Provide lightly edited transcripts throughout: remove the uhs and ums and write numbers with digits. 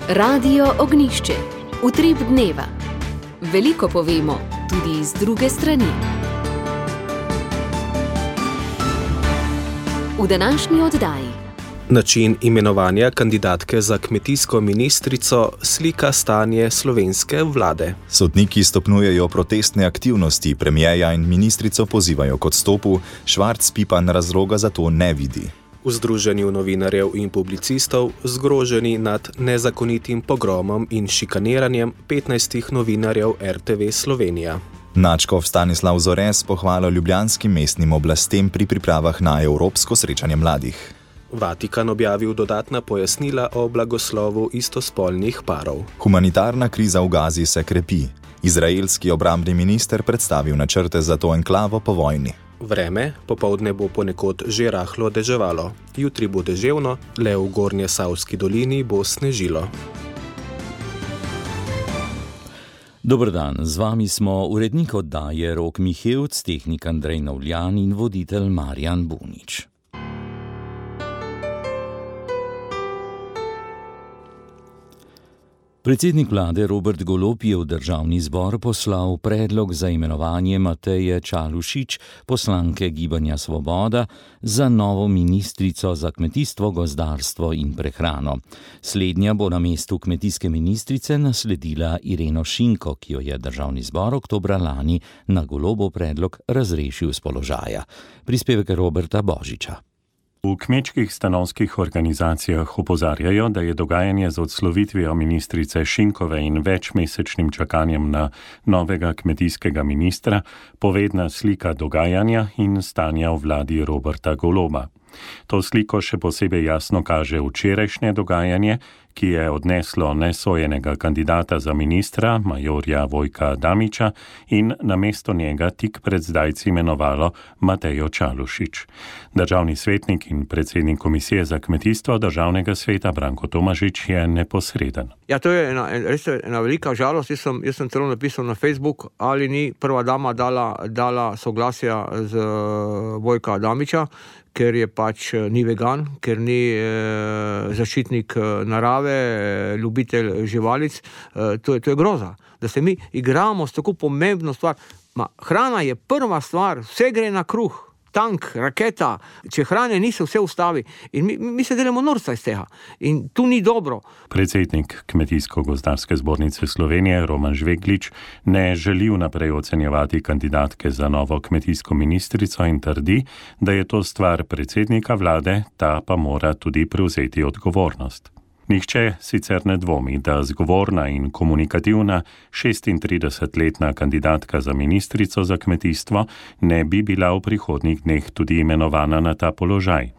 Radio Ognjišče. Utrip dneva. Veliko povemo, tudi iz druge strani. V današnji oddaji. Način imenovanja kandidatke za kmetijsko ministrico slika stanje slovenske vlade. Sodniki stopnjujejo protestne aktivnosti, premierja in ministrico pozivajo k odstopu, Švarc Pipan razloga za to ne vidi. V Združenju novinarjev in publicistov zgroženi nad nezakonitim pogromom in šikaniranjem 15 novinarjev RTV Slovenija. Nadškof Stanislav Zores pohvalil ljubljanskim mestnim oblastem pri pripravah na evropsko srečanje mladih. Vatikan objavil dodatna pojasnila o blagoslovu istospolnih parov. Humanitarna kriza v Gazi se krepi. Izraelski obrambni minister predstavil načrte za to enklavo po vojni. Vreme, popoldne bo ponekod že rahlo deževalo. Jutri bo deževno, le v Gornjesavski dolini bo snežilo. Dober dan, z vami smo urednik oddaje Rok Mihevc, tehnik Andrej Novljan in voditelj Marjan Bunič. Predsednik vlade Robert Golob je v državni zbor poslal predlog za imenovanje Mateje Čalušić, poslanke Gibanja Svoboda, za novo ministrico za kmetijstvo, gozdarstvo in prehrano. Slednja bo na mestu kmetijske ministrice nasledila Ireno Šinko, ki jo je državni zbor oktobra lani na Golobov predlog razrešil s položaja. Prispevek Roberta Božiča. V kmečkih stanovskih organizacijah opozarjajo, da je dogajanje z odslovitvijo ministrice Šinkove in večmesečnim čakanjem na novega kmetijskega ministra povedna slika dogajanja in stanja v vladi Roberta Goloba. To sliko še posebej jasno kaže včerajšnje dogajanje, ki je odneslo nesojenega kandidata za ministra, majorja Vojka Adamiča, in namesto njega tik pred zdajci imenovalo Matejo Čalušić. Državni svetnik in predsednik Komisije za kmetijstvo Državnega sveta Branko Tomažič je neposreden. Ja, to je res ena velika žalost. Jaz sem celo napisal na Facebook, ali ni prva dama dala soglasja z Vojka Adamiča, ker je pač ni vegan, ker ni zaščitnik narave, ljubitelj živalic. To je groza, da se mi igramo s tako pomembno stvar. Hrana je prva stvar, vse gre na kruh, tank, raketa, če hrane niso, vse ustavi. In mi se delamo norca iz tega. In tu ni dobro. Predsednik Kmetijsko-gozdarske zbornice Slovenije Roman Žveglič ne želi vnaprej ocenjevati kandidatke za novo kmetijsko ministrico in trdi, da je to stvar predsednika vlade, ta pa mora tudi prevzeti odgovornost. Nihče sicer ne dvomi, da zgovorna in komunikativna 36-letna kandidatka za ministrico za kmetijstvo ne bi bila v prihodnjih dneh tudi imenovana na ta položaj.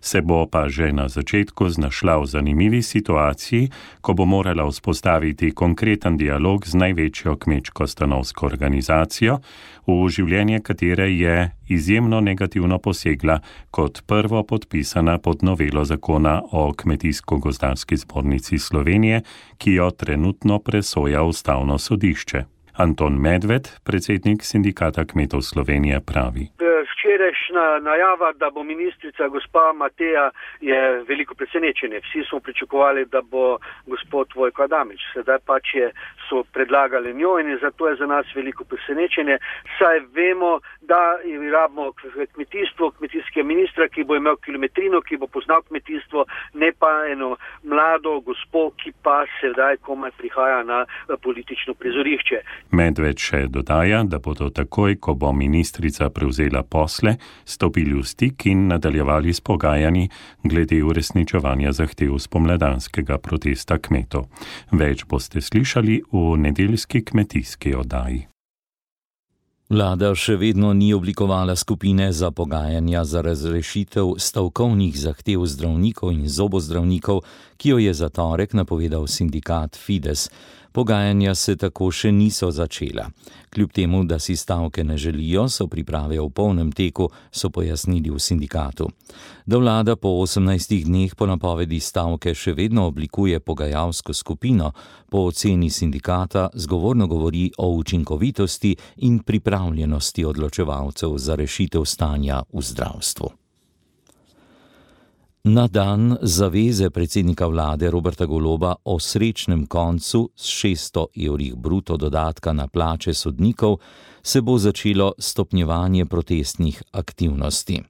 Se bo pa že na začetku znašla v zanimivi situaciji, ko bo morala vzpostaviti konkreten dialog z največjo kmečko stanovsko organizacijo, v življenje katere je izjemno negativno posegla kot prvo podpisana pod novelo zakona o Kmetijsko-gozdarski zbornici Slovenije, ki jo trenutno presoja Ustavno sodišče. Anton Medved, predsednik Sindikata kmetov Slovenije, pravi. Včerajšnja najava, da bo ministrica gospa Mateja, je veliko presenečenje. Vsi smo pričakovali, da bo gospod Vojko Adamič. Sedaj pač so predlagali njo in zato je za nas veliko presenečenje. Saj vemo, da rabimo kmetijstvo, kmetijskega ministra, ki bo imel kilometrino, ki bo poznal kmetijstvo, ne pa eno mlado gospo, ki pa sedaj komaj prihaja na politično prizorišče. Medved še dodaja, da bodo takoj, ko bo ministrica prevzela posle, stopili v stik in nadaljevali s pogajanji glede uresničevanja zahtev spomladanskega protesta kmetov. Več boste slišali v nedeljski kmetijski oddaji. Vlada še vedno ni oblikovala skupine za pogajanja za razrešitev stavkovnih zahtev zdravnikov in zobozdravnikov, ki jo je za torek napovedal sindikat Fides. Pogajanja se tako še niso začela. Kljub temu, da si stavke ne želijo, so priprave v polnem teku, so pojasnili v sindikatu. Da vlada po 18 dneh po napovedi stavke še vedno oblikuje pogajalsko skupino, po oceni sindikata zgovorno govori o učinkovitosti in pripravljenosti odločevalcev za rešitev stanja v zdravstvu. Na dan zaveze predsednika vlade Roberta Goloba o srečnem koncu s 600 evrih bruto dodatka na plače sodnikov se bo začelo stopnjevanje protestnih aktivnosti.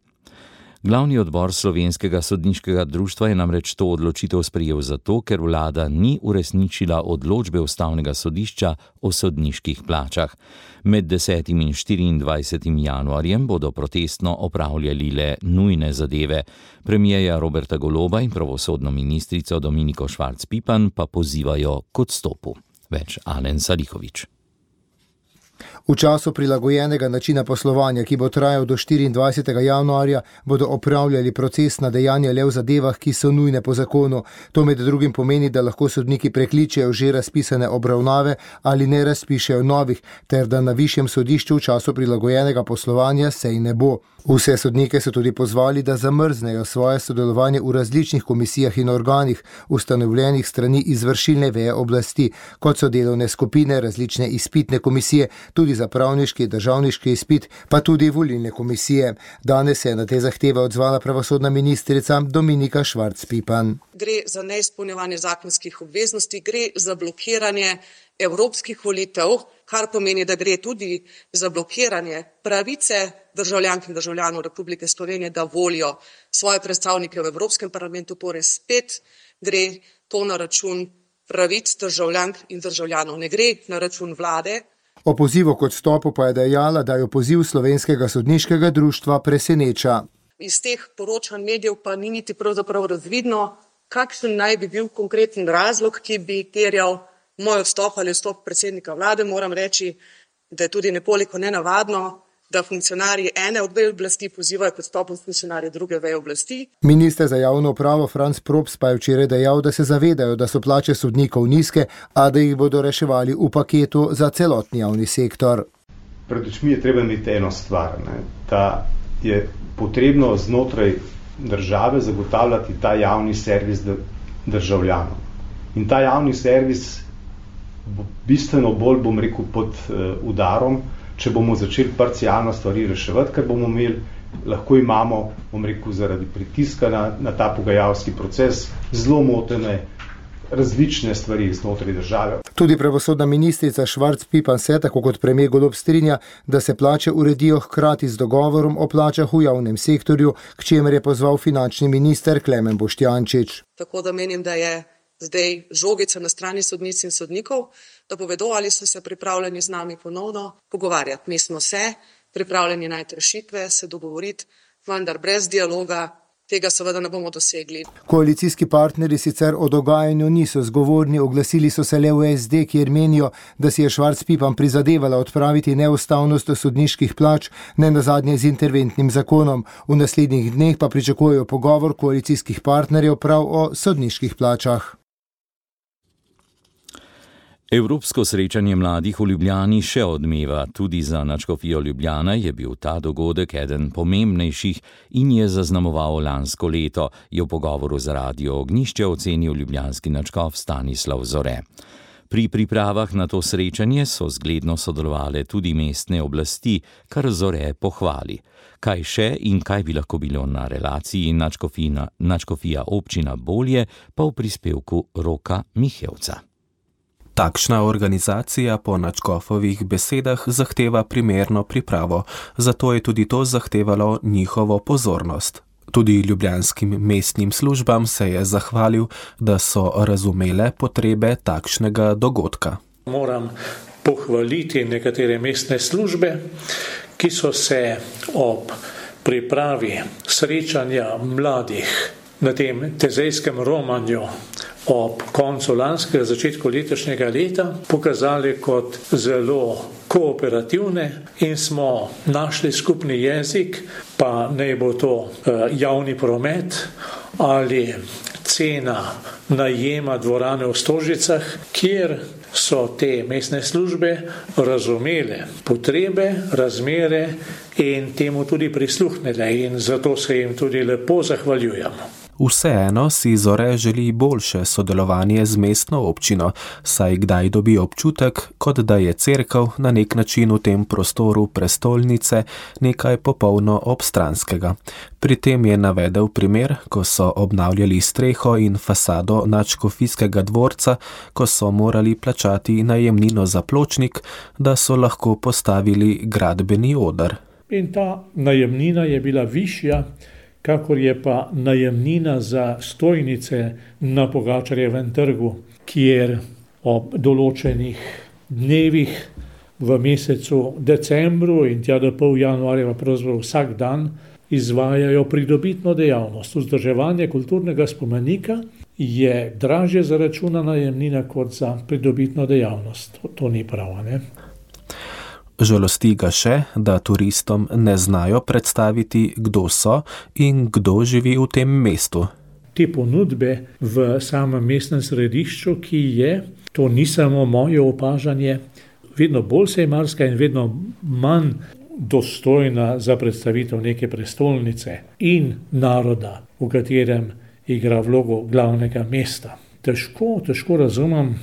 Glavni odbor Slovenskega sodniškega društva je namreč to odločitev sprejel zato, ker vlada ni uresničila odločbe Ustavnega sodišča o sodniških plačah. Med 10. in 24. januarjem bodo protestno opravljali le nujne zadeve. Premierja Roberta Goloba in pravosodno ministrico Dominiko Švarc Pipan pa pozivajo k odstopu. Več Alen Salihović. V času prilagojenega načina poslovanja, ki bo trajal do 24. januarja, bodo opravljali procesna dejanja le v zadevah, ki so nujne po zakonu. To med drugim pomeni, da lahko sodniki prekličejo že razpisane obravnave ali ne razpišejo novih, ter da na višjem sodišču v času prilagojenega poslovanja sej ne bo. Vse sodnike so tudi pozvali, da zamrznejo svoje sodelovanje v različnih komisijah in organih, ustanovljenih strani izvršilne veje oblasti, kot so delovne skupine, različne izpitne komisije, tudi za pravniški, državniški izpit, pa tudi volilne komisije. Danes se je na te zahteve odzvala pravosodna ministrica Dominika Švarc Pipan. Gre za neizpolnjevanje zakonskih obveznosti, gre za blokiranje evropskih volitev, kar pomeni, da gre tudi za blokiranje pravice državljank in državljanov Republike Slovenije, da volijo svoje predstavnike v Evropskem parlamentu, torej spet gre to na račun pravic državljank in državljanov, ne gre na račun vlade. O pozivu k odstopu pa je dejala, da jo poziv Slovenskega sodniškega društva preseneča. Iz teh poročanj medijev pa ni niti pravzaprav razvidno, kakšen naj bi bil konkreten razlog, ki bi terjal moj odstop ali odstop predsednika vlade. Moram reči, da je tudi nekoliko nenavadno, da funkcionarji ene od vej oblasti pozivajo k odstopu funkcionarje druge veje oblasti. Minister za javno upravo Franc Props pa je včeraj dejal, da se zavedajo, da so plače sodnikov nizke, a da jih bodo reševali v paketu za celotni javni sektor. Pred očmi je treba imeti eno stvar, da je potrebno znotraj države zagotavljati ta javni servis državljanom. In ta javni servis bo bistveno bolj, bom rekel, pod udarom, če bomo začeli parcialno stvari reševati, ker bomo imeli, lahko imamo, bom rekel, zaradi pritiska na ta pogajalski proces zelo motene različne stvari znotraj države. Tudi pravosodna ministrica Švarc Pipan se, tako kot premier Golob, strinja, da se plače uredijo hkrati z dogovorom o plačah v javnem sektorju, k čemer je pozval finančni minister Klemen Boštjančič. Tako da menim, da je zdaj žogica na strani sodnic in sodnikov, da povedo, ali so se pripravljeni z nami ponovno pogovarjati. Mi smo se pripravljeni najti rešitve, se dogovoriti, vendar brez dialoga tega seveda ne bomo dosegli. Koalicijski partnerji sicer o dogajanju niso zgovorni, oglasili so se le v SD, kjer menijo, da si je Švarc Pipan prizadevala odpraviti neustavnost sodniških plač, ne nazadnje z interventnim zakonom. V naslednjih dneh pa pričakujejo pogovor koalicijskih partnerjev prav o sodniških plačah. Evropsko srečanje mladih v Ljubljani še odmeva. Tudi za nadškofijo Ljubljana je bil ta dogodek eden pomembnejših in je zaznamoval lansko leto, je v pogovoru za Radio Ognjišče ocenil ljubljanski nadškof Stanislav Zore. Pri pripravah na to srečanje so zgledno sodelovale tudi mestne oblasti, kar Zore pohvali. Kaj še in kaj bi lahko bilo na relaciji nadškofija občina bolje, pa v prispevku Roka Mihevca. Takšna organizacija po nadškofovih besedah zahteva primerno pripravo, zato je tudi to zahtevalo njihovo pozornost. Tudi ljubljanskim mestnim službam se je zahvalil, da so razumele potrebe takšnega dogodka. Moram pohvaliti nekatere mestne službe, ki so se ob pripravi srečanja mladih na tem tezejskem romanju ob koncu lanskega, začetku letošnjega leta pokazali kot zelo kooperativne in smo našli skupni jezik, pa naj bo to javni promet ali cena najema dvorane v Stožicah, kjer so te mestne službe razumele potrebe, razmere in temu tudi prisluhnile in zato se jim tudi lepo zahvaljujemo. Vseeno si Zore želi boljše sodelovanje z mestno občino, saj kdaj dobi občutek, kot da je cerkev na nek način v tem prostoru prestolnice nekaj popolno obstranskega. Pri tem je navedel primer, ko so obnavljali streho in fasado nadškofijskega dvorca, ko so morali plačati najemnino za pločnik, da so lahko postavili gradbeni oder. In ta najemnina je bila višja, kakor je pa najemnina za stojnice na Pogačarjevem trgu, kjer ob določenih dnevih v mesecu decembru in tja do pol januarja pravzaprav vsak dan izvajajo pridobitno dejavnost. Vzdrževanje kulturnega spomenika je dražje zaračuna najemnina kot za pridobitno dejavnost. To ni prav, ne? Žalosti ga še, da turistom ne znajo predstaviti, kdo so in kdo živi v tem mestu. Te ponudbe v samem mestnem središču, ki je, to ni samo moje opažanje, vedno bolj sejmarska in vedno manj dostojna za predstavitev neke prestolnice in naroda, v katerem igra vlogo glavnega mesta. Težko razumem,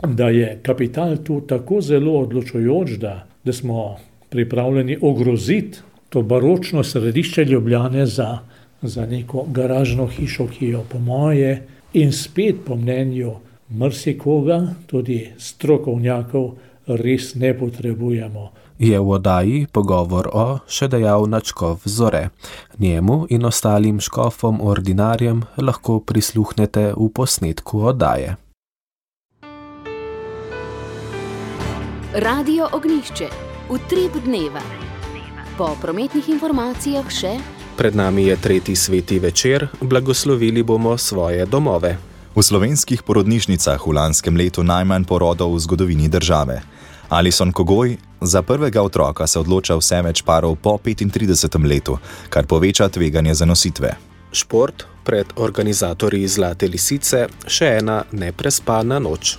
da je kapital tu tako zelo odločujoč, da smo pripravljeni ogroziti to baročno središče Ljubljane za neko garažno hišo, ki jo po moje in spet po mnenju marsikoga, tudi strokovnjakov, res ne potrebujemo. Je v oddaji pogovor o še dejal nadškof Zore. Njemu in ostalim škofom ordinarjem lahko prisluhnete v posnetku oddaje. Radio Ognjišče, utrip dneva. Po prometnih informacijah še: pred nami je 3. sveti večer, blagoslovili bomo svoje domove. V slovenskih porodnišnicah v lanskem letu najmanj porodov v zgodovini države. Alison Kogoj: za prvega otroka se odloča vse več parov po 35. letu, kar poveča tveganje zanositve. Šport, pred organizatorji Zlate lisice, še ena neprespana noč.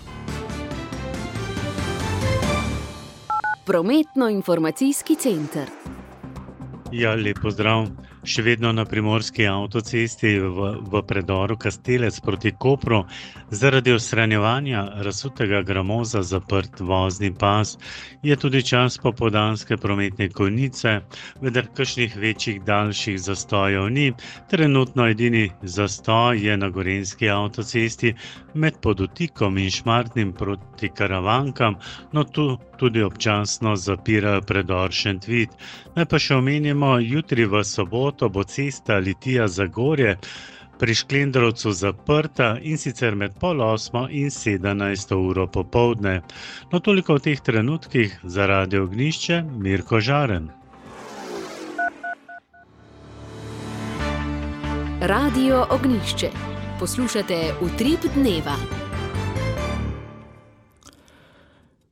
Prometno-informacijski center. Ja, lep pozdrav. Še vedno na primorski avtocesti v predoru Kastelec proti Kopru zaradi odstranjevanja razsutega gramoza zaprt vozni pas. Je tudi čas popoldanske prometne konice, vendar kakšnih večjih daljših zastojev ni. Trenutno edini zastoj je na gorenjski avtocesti med Podutikom in Šmartnim proti Karavankam, no tu tudi občasno zapirajo predor Šentvid. Naj pa še omenimo, jutri v soboto bo cesta Litija-Zagorje pri Šklendrovcu zaprta in sicer med 7:30 in 17. uro popoldne. No toliko v teh trenutkih. Za Radio Ognjišče, Mirko Žaren. Radio Ognjišče. Poslušate utrip dneva.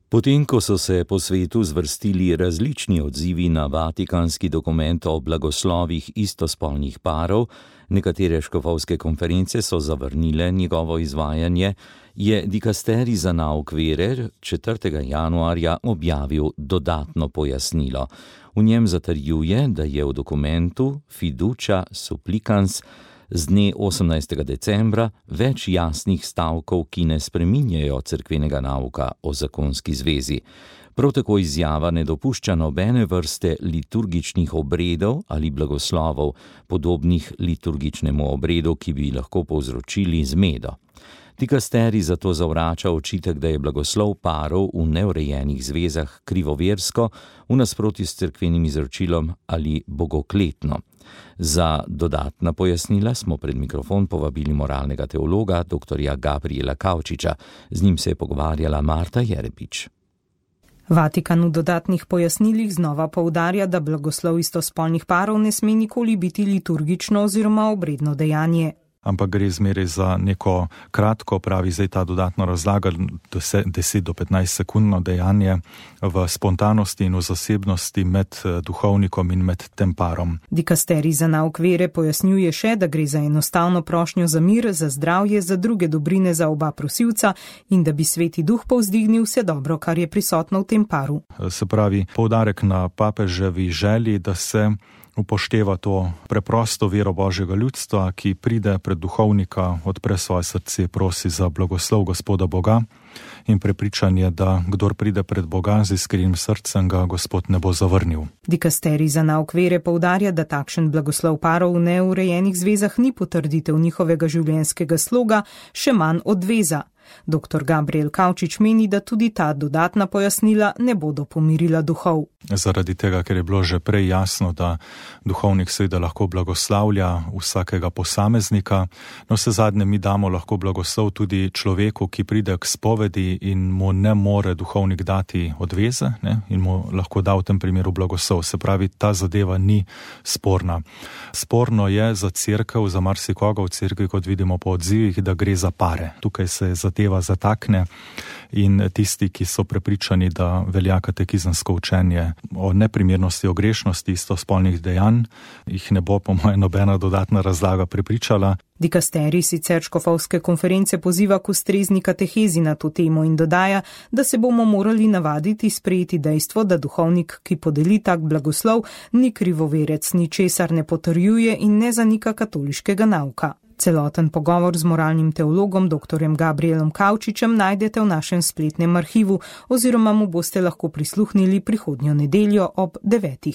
Potem, ko so se po svetu zvrstili različni odzivi na vatikanski dokument o blagoslovih istospolnih parov, nekatere škofovske konference so zavrnile njegovo izvajanje, je dikasterij za nauk vere 4. januarja objavil dodatno pojasnilo. V njem zatrjuje, da je v dokumentu Fiducia Supplicans z dne 18. decembra več jasnih stavkov, ki ne spreminjajo cerkvenega nauka o zakonski zvezi. Prav tako izjava ne dopušča nobene vrste liturgičnih obredov ali blagoslovov, podobnih liturgičnemu obredu, ki bi lahko povzročili zmedo. Dikasterij zato zavrača očitek, da je blagoslov parov v neurejenih zvezah krivoversko, v nasprotju s cerkvenim izročilom ali bogokletno. Za dodatna pojasnila smo pred mikrofon povabili moralnega teologa dr. Gabriela Kavčiča. Z njim se je pogovarjala Marta Jerepič. Vatikan v dodatnih pojasnilih znova poudarja, da blagoslov istospolnih parov ne sme nikoli biti liturgično oziroma obredno dejanje. Ampak gre zmeraj za neko kratko, pravi zdaj ta dodatna razlaga, 10 do 15 sekundno dejanje v spontanosti in v zasebnosti med duhovnikom in med tem parom. Dikasterij za nauk vere pojasnjuje še, da gre za enostavno prošnjo za mir, za zdravje, za druge dobrine za oba prosilca in da bi Sveti Duh povzdignil vse dobro, kar je prisotno v tem paru. Se pravi, poudarek na papeževi želji, da se upošteva to preprosto vero Božjega ljudstva, ki pride pred duhovnika, odpre svoje srce, prosi za blagoslov Gospoda Boga in prepričanje, da kdor pride pred Boga z iskrenim srcem, ga Gospod ne bo zavrnil. Dikasterij za nauk vere poudarja, da takšen blagoslov parov v neurejenih zvezah ni potrditev njihovega življenjskega sloga, še manj odveza. Dr. Gabriel Kavčič meni, da tudi ta dodatna pojasnila ne bodo pomirila duhov. Zaradi tega, ker je bilo že prej jasno, da duhovnik seveda lahko blagoslavlja vsakega posameznika, no vse zadnje mi damo lahko blagoslov tudi človeku, ki pride k spovedi in mu ne more duhovnik dati odveze, ne, in mu lahko da v tem primeru blagoslov. Se pravi, ta zadeva ni sporna. Sporno je za cerkev, za marsikoga v cerkvi, kot vidimo po odzivih, da gre za pare. Tukaj se zadeva zatakne in tisti, ki so prepričani, da velja katekizemsko učenje o neprimernosti, o grešnosti istospolnih dejanj, jih ne bo po moje nobena dodatna razlaga prepričala. Dikasterij sicer škofovske konference poziva k ustrezni katehezi na to temo in dodaja, da se bomo morali navaditi sprejeti dejstvo, da duhovnik, ki podeli tak blagoslov, ni krivoverec, ničesar ne potrjuje in ne zanika katoliškega nauka. Celoten pogovor z moralnim teologom dr. Gabrielom Kavčičem najdete v našem spletnem arhivu oziroma mu boste lahko prisluhnili prihodnjo nedeljo ob 9.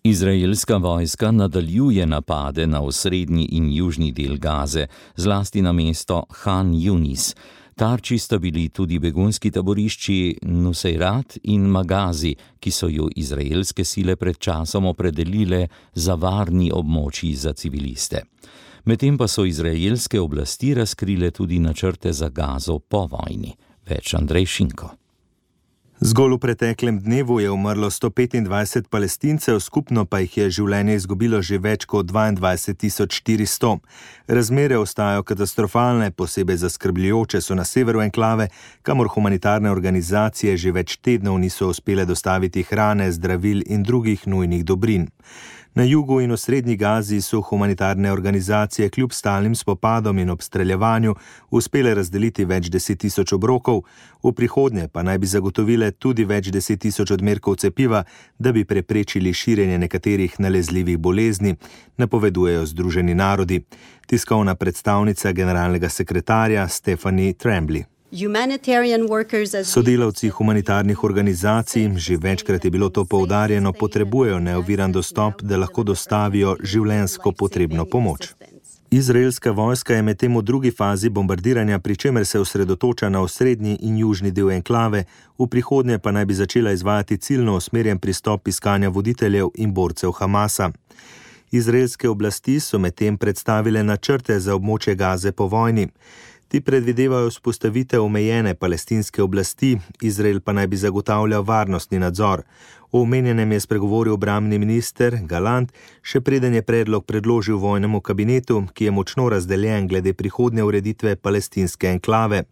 Izraelska vojska nadaljuje napade na osrednji in južni del Gaze, zlasti na mesto Han Yunis. Tarči sta bili tudi begunski taborišči Nuseirat in Magazi, ki so jo izraelske sile pred časom opredelile za varni območji za civiliste. Medtem pa so izraelske oblasti razkrile tudi načrte za Gazo po vojni. Več Andrej Šinko. Zgolj v preteklem dnevu je umrlo 125 Palestincev, skupno pa jih je življenje izgubilo že več kot 22.400. Razmere ostajajo katastrofalne, posebej zaskrbljujoče so na severu enklave, kamor humanitarne organizacije že več tednov niso uspele dostaviti hrane, zdravil in drugih nujnih dobrin. Na jugu in v srednji Gazi so humanitarne organizacije kljub stalnim spopadom in obstreljevanju uspele razdeliti več 10.000 obrokov, v prihodnje pa naj bi zagotovile tudi več 10.000 odmerkov cepiva, da bi preprečili širjenje nekaterih nalezljivih bolezni, napovedujejo Združeni narodi. Tiskovna predstavnica generalnega sekretarja Stephanie Tremblay. Sodelavci humanitarnih organizacij, že večkrat je bilo to poudarjeno, potrebujejo neoviran dostop, da lahko dostavijo življenjsko potrebno pomoč. Izraelska vojska je medtem v drugi fazi bombardiranja, pri čemer se osredotoča na osrednji in južni del enklave, v prihodnje pa naj bi začela izvajati ciljno usmerjen pristop iskanja voditeljev in borcev Hamasa. Izraelske oblasti so medtem predstavile načrte za območje Gaze po vojni. Ti predvidevajo vzpostavitev omejene palestinske oblasti, Izrael pa naj bi zagotavljal varnostni nadzor. O omenjenem je spregovoril obrambni minister Galant, še preden je predlog predložil vojnemu kabinetu, ki je močno razdeljen glede prihodnje ureditve palestinske enklave.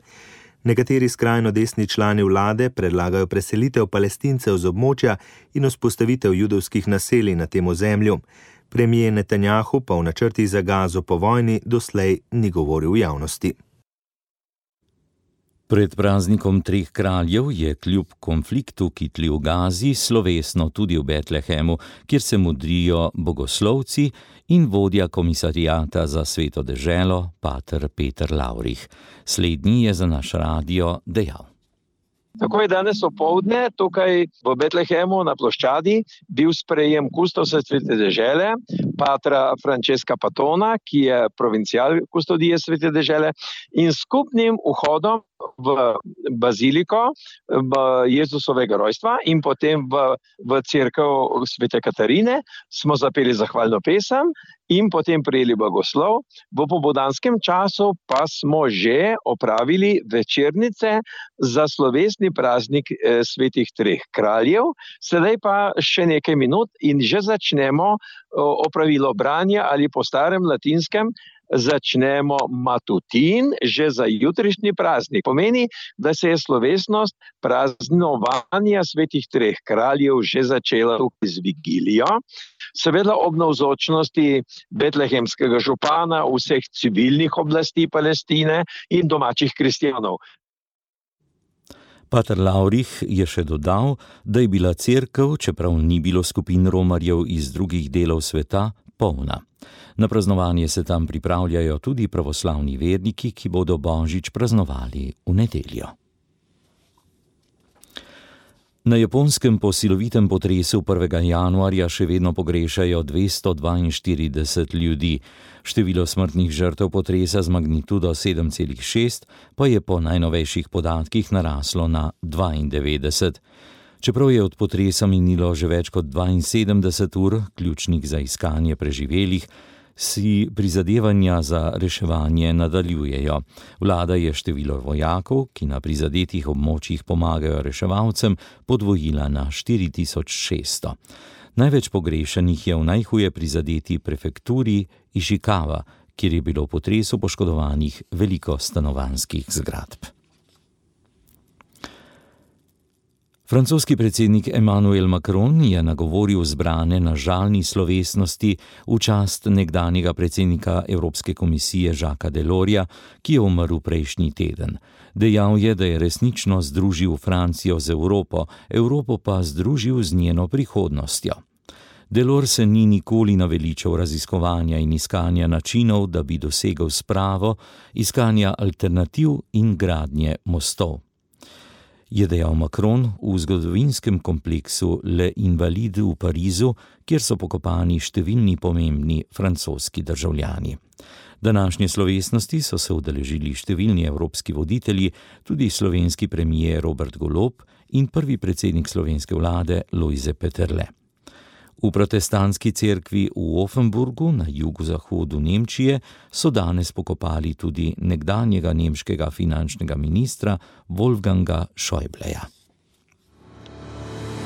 Nekateri skrajno desni člani vlade predlagajo preselitev Palestincev z območja in vzpostavitev judovskih naselij na tem ozemlju. Premijer Netanjahu pa v načrtih za Gazo po vojni doslej ni govoril v javnosti. Pred praznikom treh kraljev je kljub konfliktu, ki tli v Gazi, slovesno tudi v Betlehemu, kjer se modrijo bogoslovci in vodja komisarijata za sveto deželo, pater Peter Lavrih. Slednji je za naš radio dejal. Tako je danes opoldne tukaj v Betlehemu na ploščadi bil sprejem kustosa svete dežele, patra Francesca Patona, ki je provincial kustodije svete dežele, in skupnim vhodom v baziliko Jezusovega rojstva in potem v cerkev svete Katarine smo zapeli zahvalno pesem in potem prijeli blagoslov. V popoldanskem času pa smo že opravili večernice za slovesni praznik svetih treh kraljev. Sedaj pa še nekaj minut in že začnemo opravilo branja ali po starem latinskem začnemo matutin že za jutrišnji praznik. Pomeni, da se je slovesnost praznovanja svetih treh kraljev že začela z vigilijo. Seveda ob navzočnosti betlehemskega župana, vseh civilnih oblasti Palestine in domačih kristjanov. Pater Laurih je še dodal, da je bila cerkev, čeprav ni bilo skupin romarjev iz drugih delov sveta, polna. Na praznovanje se tam pripravljajo tudi pravoslavni verniki, ki bodo božič praznovali v nedeljo. Na Japonskem po silovitem potresu 1. januarja še vedno pogrešajo 242 ljudi. Število smrtnih žrtev potresa z magnitudo 7,6 pa je po najnovejših podatkih naraslo na 92. Čeprav je od potresa minilo že več kot 72 ur, ključnih za iskanje preživelih, si prizadevanja za reševanje nadaljujejo. Vlada je število vojakov, ki na prizadetih območjih pomagajo reševalcem, podvojila na 4600. Največ pogrešanih je v najhuje prizadeti prefekturi Išikawa, kjer je bilo v potresu poškodovanih veliko stanovanjskih zgradb. Francoski predsednik Emmanuel Macron je nagovoril zbrane na žalni slovesnosti v čast nekdanjega predsednika Evropske komisije Jacquesa Delorsa, ki je umrl prejšnji teden. Dejal je, da je resnično združil Francijo z Evropo, Evropo pa združil z njeno prihodnostjo. Delors se ni nikoli naveličal raziskovanja in iskanja načinov, da bi dosegel spravo, iskanja alternativ in gradnje mostov. Je dejal Macron v zgodovinskem kompleksu Le Invalides v Parizu, kjer so pokopani številni pomembni francoski državljani. Današnje slovesnosti so se udeležili številni evropski voditelji, tudi slovenski premier Robert Golob in prvi predsednik slovenske vlade Lojze Peterle. V protestantski cerkvi v Offenburgu na jugozahodu Nemčije so danes pokopali tudi nekdanjega nemškega finančnega ministra Wolfganga Schäubleja.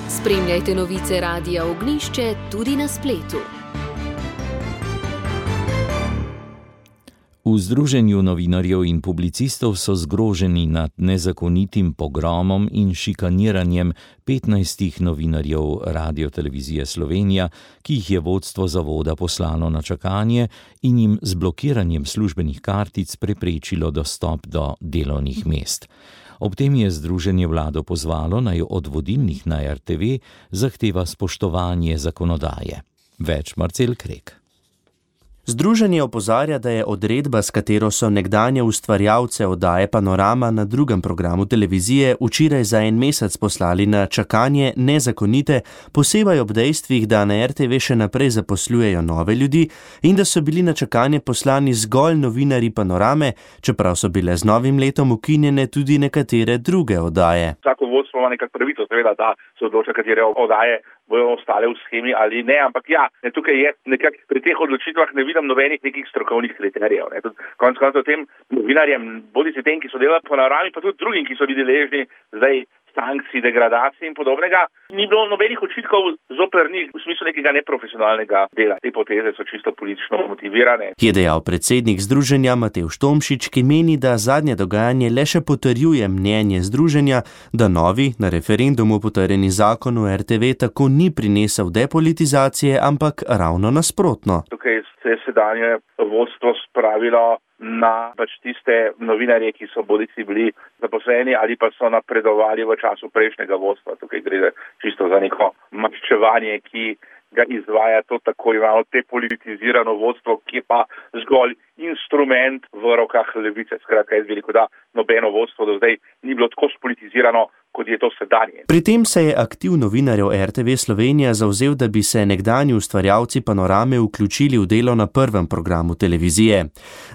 Spremljajte novice Radia Ognjišče tudi na spletu. V Združenju novinarjev in publicistov so zgroženi nad nezakonitim pogromom in šikaniranjem 15 novinarjev Radiotelevizije Slovenija, ki jih je vodstvo zavoda poslalo na čakanje in jim z blokiranjem službenih kartic preprečilo dostop do delovnih mest. Ob tem je združenje vlado pozvalo, naj od vodilnih na RTV zahteva spoštovanje zakonodaje. Več Marcel Krek. Združenje opozarja, da je odredba, s katero so nekdanje ustvarjalce oddaje Panorama na drugem programu televizije včeraj za en mesec poslali na čakanje, nezakonite, posebej ob dejstvih, da na RTV še naprej zaposlujejo nove ljudi in da so bili na čakanje poslani zgolj novinarji Panorame, čeprav so bile z novim letom ukinjene tudi nekatere druge oddaje. Vsako vodstvo ima nekak pravico, seveda, da se odloča, katere oddaje bojo ostale v schemi ali ne, ampak ja, tukaj je nekako pri teh odločitvah ne vidim nobenih nekih strokovnih kriterijev. Konec koncev tem novinarjem, bodisi tem, ki so delali po Panorami, pa tudi drugim, ki so bili deležni zdaj sankcij, degradacij in podobnega, ni bilo nobenih očitkov zoper njih v smislu nekega neprofesionalnega dela. Te poteze so čisto politično motivirane. Je dejal predsednik združenja Matevž Tomšič, ki meni, da zadnje dogajanje le še potrjuje mnenje združenja, da novi, na referendumu potrjeni zakon o RTV tako ni prinesel depolitizacije, ampak ravno nasprotno. Tukaj se je sedanje vodstvo spravilo na tiste novinarje, ki so bodisi bili zaposleni ali pa so napredovali v času prejšnjega vodstva. Tukaj gre čisto za neko maščevanje, ki ga izvaja to tako imenovano depolitizirano vodstvo, ki je pa zgolj instrument v rokah levice. Skratka, jaz bi rekel, da nobeno vodstvo do zdaj ni bilo tako spolitizirano, kot je to sedanje. Pri tem se je aktiv novinarjev RTV Slovenija zavzel, da bi se nekdanji ustvarjalci Panorame vključili v delo na prvem programu televizije.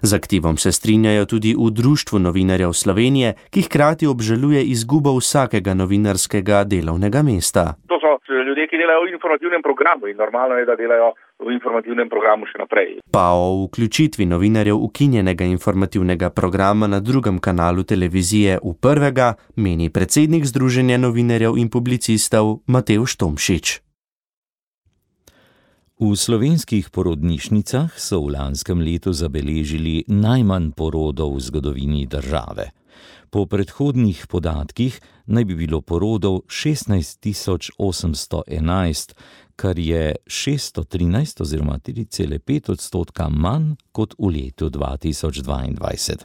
Z aktivom se strinjajo tudi v Društvu novinarjev Slovenije, ki hkrati obžaluje izgubo vsakega novinarskega delovnega mesta. To so ljudje, ki delajo v informativnem programu in normalno je, da delajo v informativnem programu še naprej. Pa o vključitvi novinarjev ukinjenega informativnega programa na drugem kanalu televizije v prvega meni predsednik Združenja novinarjev in publicistov Matevž Tomšič. V slovenskih porodnišnicah so v lanskem letu zabeležili najmanj porodov v zgodovini države. Po predhodnih podatkih naj bi bilo porodov 16 811, kar je 613 oziroma 3,5% manj kot v letu 2022.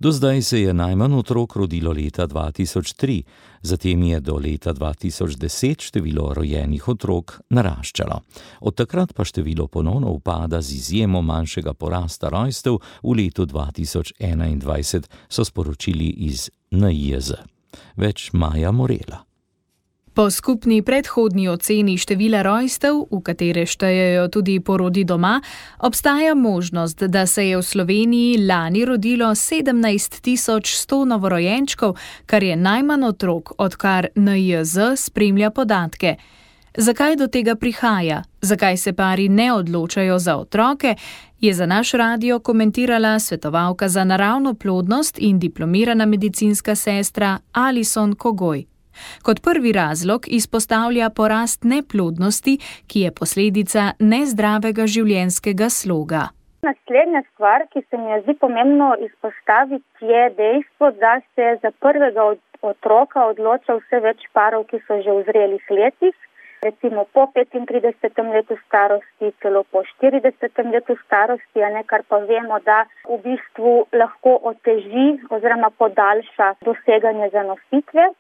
Do zdaj se je najmanj otrok rodilo leta 2003, zatem je do leta 2010 število rojenih otrok naraščalo. Od takrat pa število ponovno upada z izjemo manjšega porasta rojstev v letu 2021, so sporočili iz NIJZ. Več Maja Morela. Po skupni predhodni oceni števila rojstev, v katere štejejo tudi porodi doma, obstaja možnost, da se je v Sloveniji lani rodilo 17.100 novorojenčkov, kar je najmanj otrok, odkar NIJZ spremlja podatke. Zakaj do tega prihaja? Zakaj se pari ne odločajo za otroke? Je za naš radio komentirala svetovalka za naravno plodnost in diplomirana medicinska sestra Alison Kogoj. Kot prvi razlog izpostavlja porast neplodnosti, ki je posledica nezdravega življenjskega sloga. Naslednja stvar, ki se mi zdi pomembno izpostaviti, je dejstvo, da se za prvega otroka odloča vse več parov, ki so že v zrelih letih, recimo po 35. letu starosti, celo po 40. letu starosti, kar pa vemo, da v bistvu lahko oteži oziroma podaljša doseganje zanositve.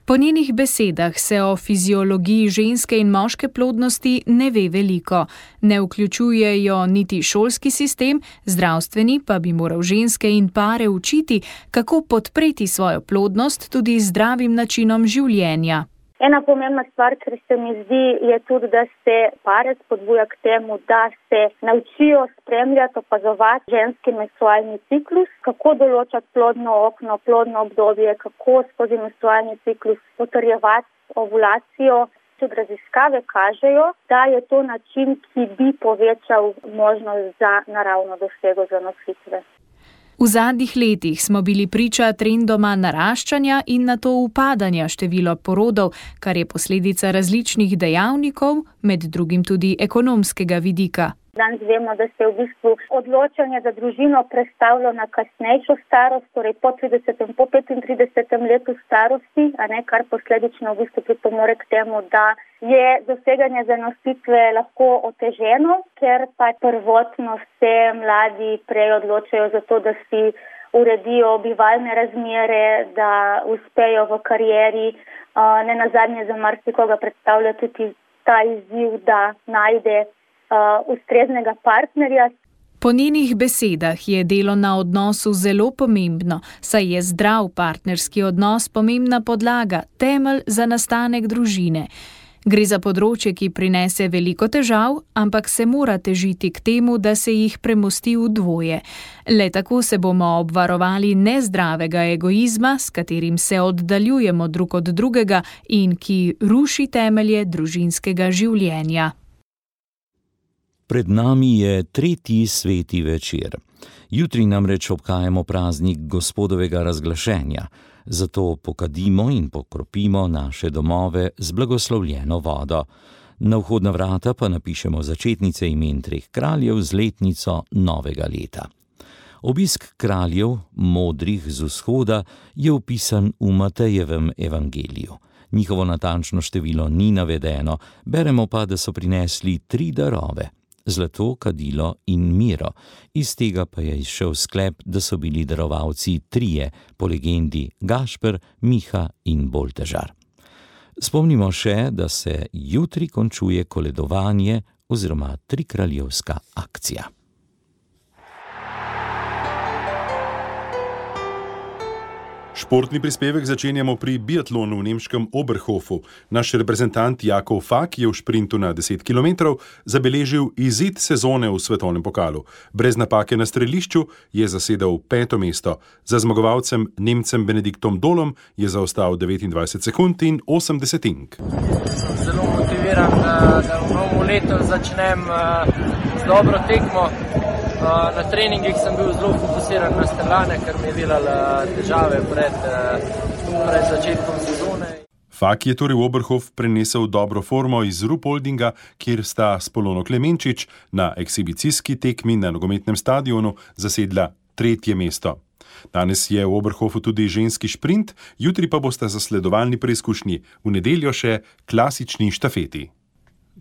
Po njenih besedah se o fiziologiji ženske in moške plodnosti ne ve veliko. Ne vključujejo niti šolski sistem, zdravstveni pa bi moral ženske in pare učiti, kako podpreti svojo plodnost tudi z zdravim načinom življenja. Ena pomembna stvar, ker se mi zdi, je tudi, da se pare spodbuja k temu, da se naučijo spremljati, opazovati ženski menstrualni ciklus, kako določati plodno okno, plodno obdobje, kako skozi menstrualni ciklus potrjevati ovulacijo. Tudi raziskave kažejo, da je to način, ki bi povečal možnost za naravno dosego zanositve. V zadnjih letih smo bili priča trendoma naraščanja in nato upadanja števila porodov, kar je posledica različnih dejavnikov, med drugim tudi ekonomskega vidika. Danes vemo, da se v bistvu odločanje za družino prestavlja na kasnejšo starost, torej po 30. po 35. letu starosti, kar posledično v bistvu pripomore k temu, da je doseganje zanositve lahko oteženo, ker pa prvotno se mladi prej odločajo za to, da si uredijo bivalne razmere, da uspejo v karieri. Nenazadnje za marsikoga predstavlja tudi ta izziv, da najde ustreznega partnerja. Po njenih besedah je delo na odnosu zelo pomembno, saj je zdrav partnerski odnos pomembna podlaga, temelj za nastanek družine. Gre za področje, ki prinese veliko težav, ampak se mora težiti k temu, da se jih premosti v dvoje. Le tako se bomo obvarovali nezdravega egoizma, s katerim se oddaljujemo drug od drugega in ki ruši temelje družinskega življenja. Pred nami je tretji sveti večer. Jutri namreč obhajamo praznik Gospodovega razglašenja, zato pokadimo in pokropimo naše domove z blagoslovljeno vodo. Na vhodna vrata pa napišemo začetnice imen 3 kraljev z letnico novega leta. Obisk kraljev, modrih z vzhoda, je opisan v Matejevem evangeliju. Njihovo natančno število ni navedeno, beremo pa, da so prinesli 3 darove. Zlato, kadilo in miro. Iz tega pa je izšel sklep, da so bili darovalci 3, po legendi Gašper, Miha in Boltežar. Spomnimo še, da se jutri končuje koledovanje oziroma trikraljevska akcija. Športni prispevek začenjamo pri biatlonu v nemškem Oberhofu. Naš reprezentant Jakov Fak je v šprintu na 10 km zabeležil izid sezone v svetovnem pokalu. Brez napake na strelišču je zasedel 5. mesto. Za zmagovalcem Nemcem Benediktom Dolom je zaostal 29 sekund in 8 desetink. Sem zelo motiviran, da v novem letu začnem z dobro tekmo. Na treningih sem bil zelo fokusiran na streljanje, ker mi je delala težave pred začetkom sezone. Fak je torej v Oberhof prenesel dobro formo iz Ruhpoldinga, kjer sta s Polono Klemenčič na ekshibicijski tekmi na nogometnem stadionu zasedla 3. mesto. Danes je v Oberhofu tudi ženski šprint, jutri pa bosta zasledovalni preizkušnji, v nedeljo še klasični štafeti.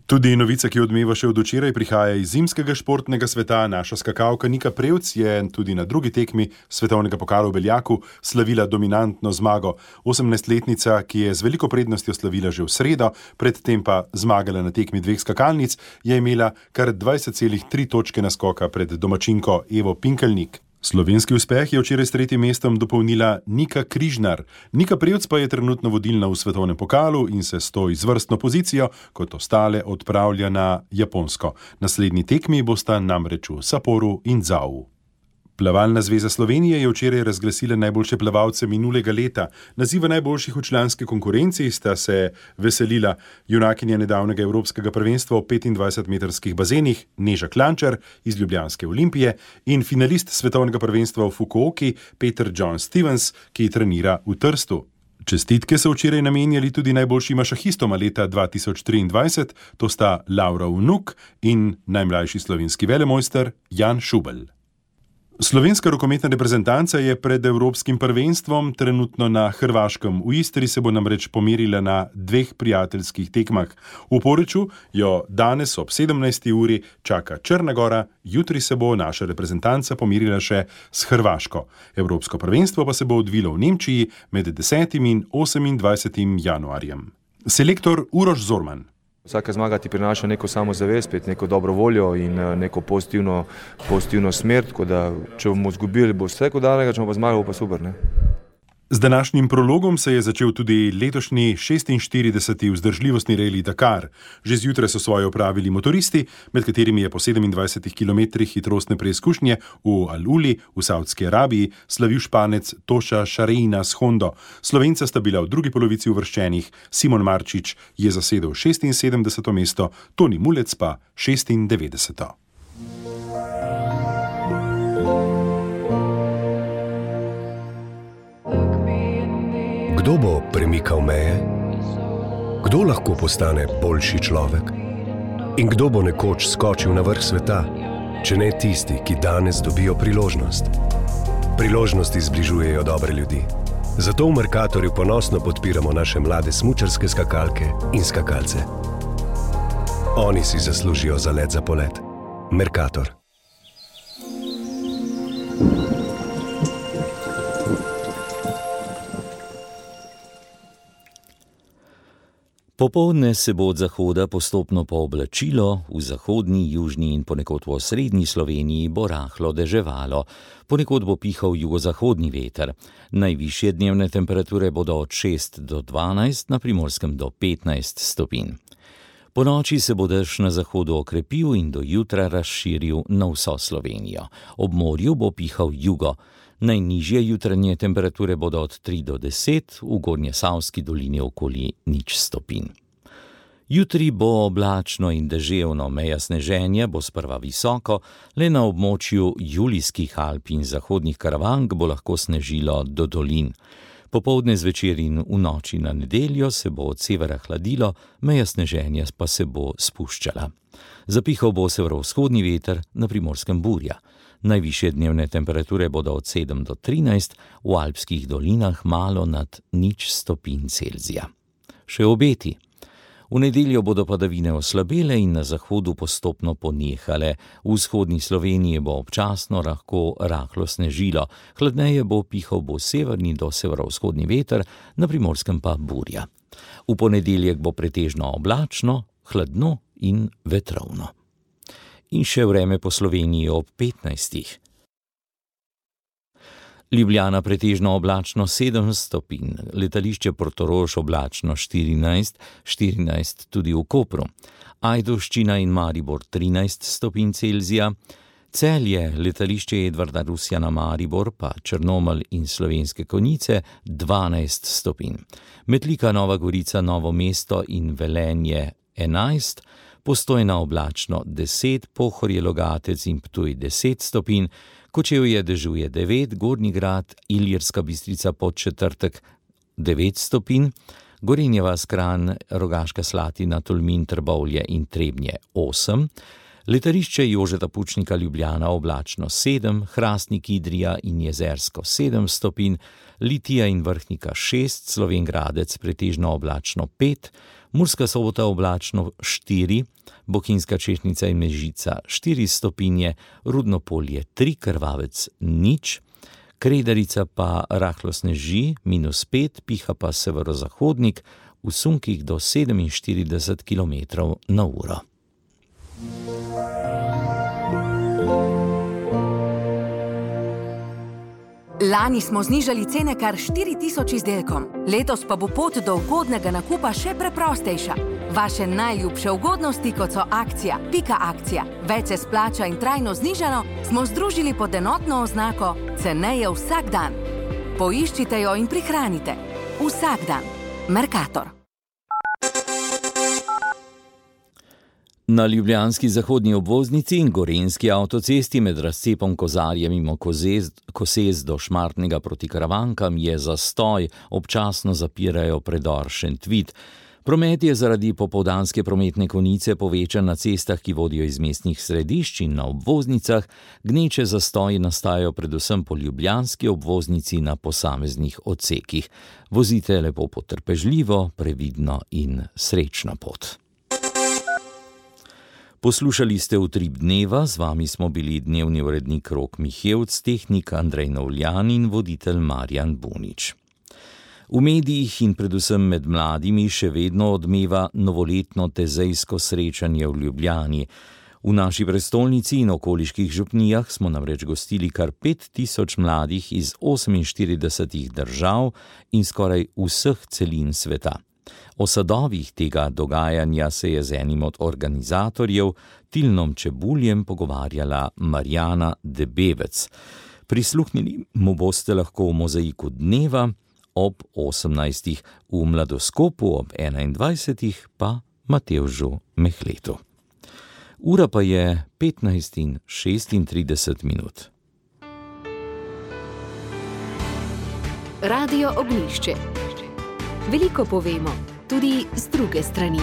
Tudi novica, ki odmeva še od včeraj, prihaja iz zimskega športnega sveta. Naša skakalka Nika Prevc je tudi na drugi tekmi svetovnega pokala v Beljaku slavila dominantno zmago. 18-letnica, ki je z veliko prednostjo slavila že v sredo, predtem pa zmagala na tekmi 2 skakalnic, je imela kar 20,3 točke naskoka pred domačinko Evo Pinkelnik. Slovenski uspeh je včeraj s 3. mestom dopolnila Nika Križnar. Nika Prevc pa je trenutno vodilna v svetovnem pokalu in se s to izvrstno pozicijo kot ostale odpravlja na Japonsko. Naslednji tekmi bosta namreč v Sapporu in Zau. Plavalna zveza Slovenije je včeraj razglasila najboljše plavalce minulega leta. Naziva najboljših v članski konkurenci sta se veselila junakinja nedavnega evropskega prvenstva v 25-metrskih bazenih Neža Klančar iz ljubljanske Olimpije in finalist svetovnega prvenstva v Fukuoki Peter John Stevens, ki trenira v Trstu. Čestitke so včeraj namenjali tudi najboljšima šahistoma leta 2023, to sta Laura Vnuk in najmlajši slovenski velemojster Jan Šubelj. Slovenska rokometna reprezentanca je pred evropskim prvenstvom trenutno na Hrvaškem. V Istri se bo namreč pomerila na 2 prijateljskih tekmah. V Poreču jo danes ob 17. uri čaka Črna Gora, jutri se bo naša reprezentanca pomerila še s Hrvaško. Evropsko prvenstvo pa se bo odvilo v Nemčiji med 10. in 28. januarjem. Selektor Uroš Zorman. Vsaka zmaga ti prinaša neko samozavest, neko dobro voljo in neko pozitivno smer, tako da če bomo izgubili, bo vse kot dalega, če bomo pa zmagali, bo pa super, ne? Z današnjim prologom se je začel tudi letošnji 46. vzdržljivostni reli Dakar. Že zjutraj so svoje opravili motoristi, med katerimi je po 27 km hitrostne preizkušnje v Al-Uli v Saudski Arabiji slavil Španec Toša Šarejna s Hondo. Slovenca sta bila v drugi polovici uvrščenih, Simon Marčič je zasedel 76. mesto, Toni Mulec pa 96. Kdo bo premikal meje? Kdo lahko postane boljši človek? In kdo bo nekoč skočil na vrh sveta, če ne tisti, ki danes dobijo priložnost? Priložnosti zbližujejo dobre ljudi. Zato v Mercatorju ponosno podpiramo naše mlade smučarske skakalke in skakalce. Oni si zaslužijo zalet za polet. Mercator. Popoldne se bo od zahoda postopno pooblačilo, v zahodni, južni in ponekod v osrednji Sloveniji bo rahlo deževalo, ponekod bo pihal jugozahodni veter. Najvišje dnevne temperature bodo od 6 do 12, na Primorskem do 15 stopinj. Po noči se bo dež na zahodu okrepil in do jutra razširil na vso Slovenijo. Ob morju bo pihal jugo. Najnižje jutranje temperature bodo od 3 do 10, v Gornjesavski dolini okoli 0 stopinj. Jutri bo oblačno in deževno, meja sneženja bo sprva visoko, le na območju Julijskih Alp in zahodnih Karavank bo lahko snežilo do dolin. Popoldne zvečer in v noči na nedeljo se bo od severa hladilo, meja sneženja pa se bo spuščala. Zapihal bo severovzhodni veter, na Primorskem burja. Najvišje dnevne temperature bodo od 7 do 13, v alpskih dolinah malo nad 0 stopinj Celzija. Še obeti. V nedeljo bodo padavine oslabele in na zahodu postopno ponehale. V vzhodni Sloveniji bo občasno lahko rahlo snežilo, hladneje bo pihal bo severni do severovzhodni veter, na Primorskem pa burja. V ponedeljek bo pretežno oblačno, hladno in vetrovno. In še vreme po Sloveniji ob 15. Ljubljana pretežno oblačno 7 stopinj, letališče Portorož oblačno 14 tudi v Kopru, Ajdovščina in Maribor 13 stopinj Celzija, Celje, letališče Edvarda Rusjana Maribor pa Črnomelj in Slovenske Konjice 12 stopinj, Metlika, Nova Gorica, Novo mesto in Velenje 11, Postojna oblačno 10, Pohorje, Logatec in Ptuj 10 stopinj, Kočevje dežuje 9, Gornji Grad, Ilirska Bistrica Podčetrtek 9 stopinj, Gorenja vas, Kranj, Rogaška Slatina, Tolmin, Trbovlje in Trebnje 8, letališče Jožeta Pučnika Ljubljana oblačno 7, Hrastnik, Idrija in Jezersko 7 stopinj, Litija in Vrhnika 6, Slovenj Gradec pretežno oblačno 5, Murska Sobota oblačno 4, Bohinjska Češnjica in Mežica 4 stopinje, Rudno Polje 3, Krvavec 0, Kredarica pa rahlo sneži -5, piha pa severozahodnik, v sunkih do 47 km/h. Lani smo znižali cene kar 4000 izdelkom, letos pa bo pot do ugodnega nakupa še preprostejša. Vaše najljubše ugodnosti, kot so akcija, pika akcija, več se splača in trajno znižano, smo združili pod enotno oznako ceneje vsak dan. Poiščite jo in prihranite. Vsak dan. Mercator. Na ljubljanski zahodni obvoznici in gorenjski avtocesti med razcepom Kozarje mimo Kosez do Šmartnega proti Karavankam je zastoj, občasno zapirajo predor Šentvid. Promet je zaradi popoldanske prometne konice povečan na cestah, ki vodijo iz mestnih središč, in na obvoznicah. Gneče zastoji nastajajo predvsem po ljubljanski obvoznici na posameznih odsekih. Vozite lepo potrpežljivo, previdno in srečno pot. Poslušali ste Utrip dneva, z vami smo bili dnevni urednik Rok Mihevc, tehnik Andrej Novljan in voditelj Marjan Bunič. V medijih in predvsem med mladimi še vedno odmeva novoletno tezejsko srečanje v Ljubljani. V naši prestolnici in okoliških župnijah smo namreč gostili kar 5000 mladih iz 48 držav in skoraj vseh celin sveta. O sadovih tega dogajanja se je z enim od organizatorjev, Tilnom Čebuljem, pogovarjala Marjana Debevec. Prisluhnili mu boste lahko v Mozaiku dneva ob 18. v Mladoskopu ob 21. pa Matevžu Mehletu. Ura pa je 15:36. Radio Ognjišče. Veliko povemo, tudi z druge strani.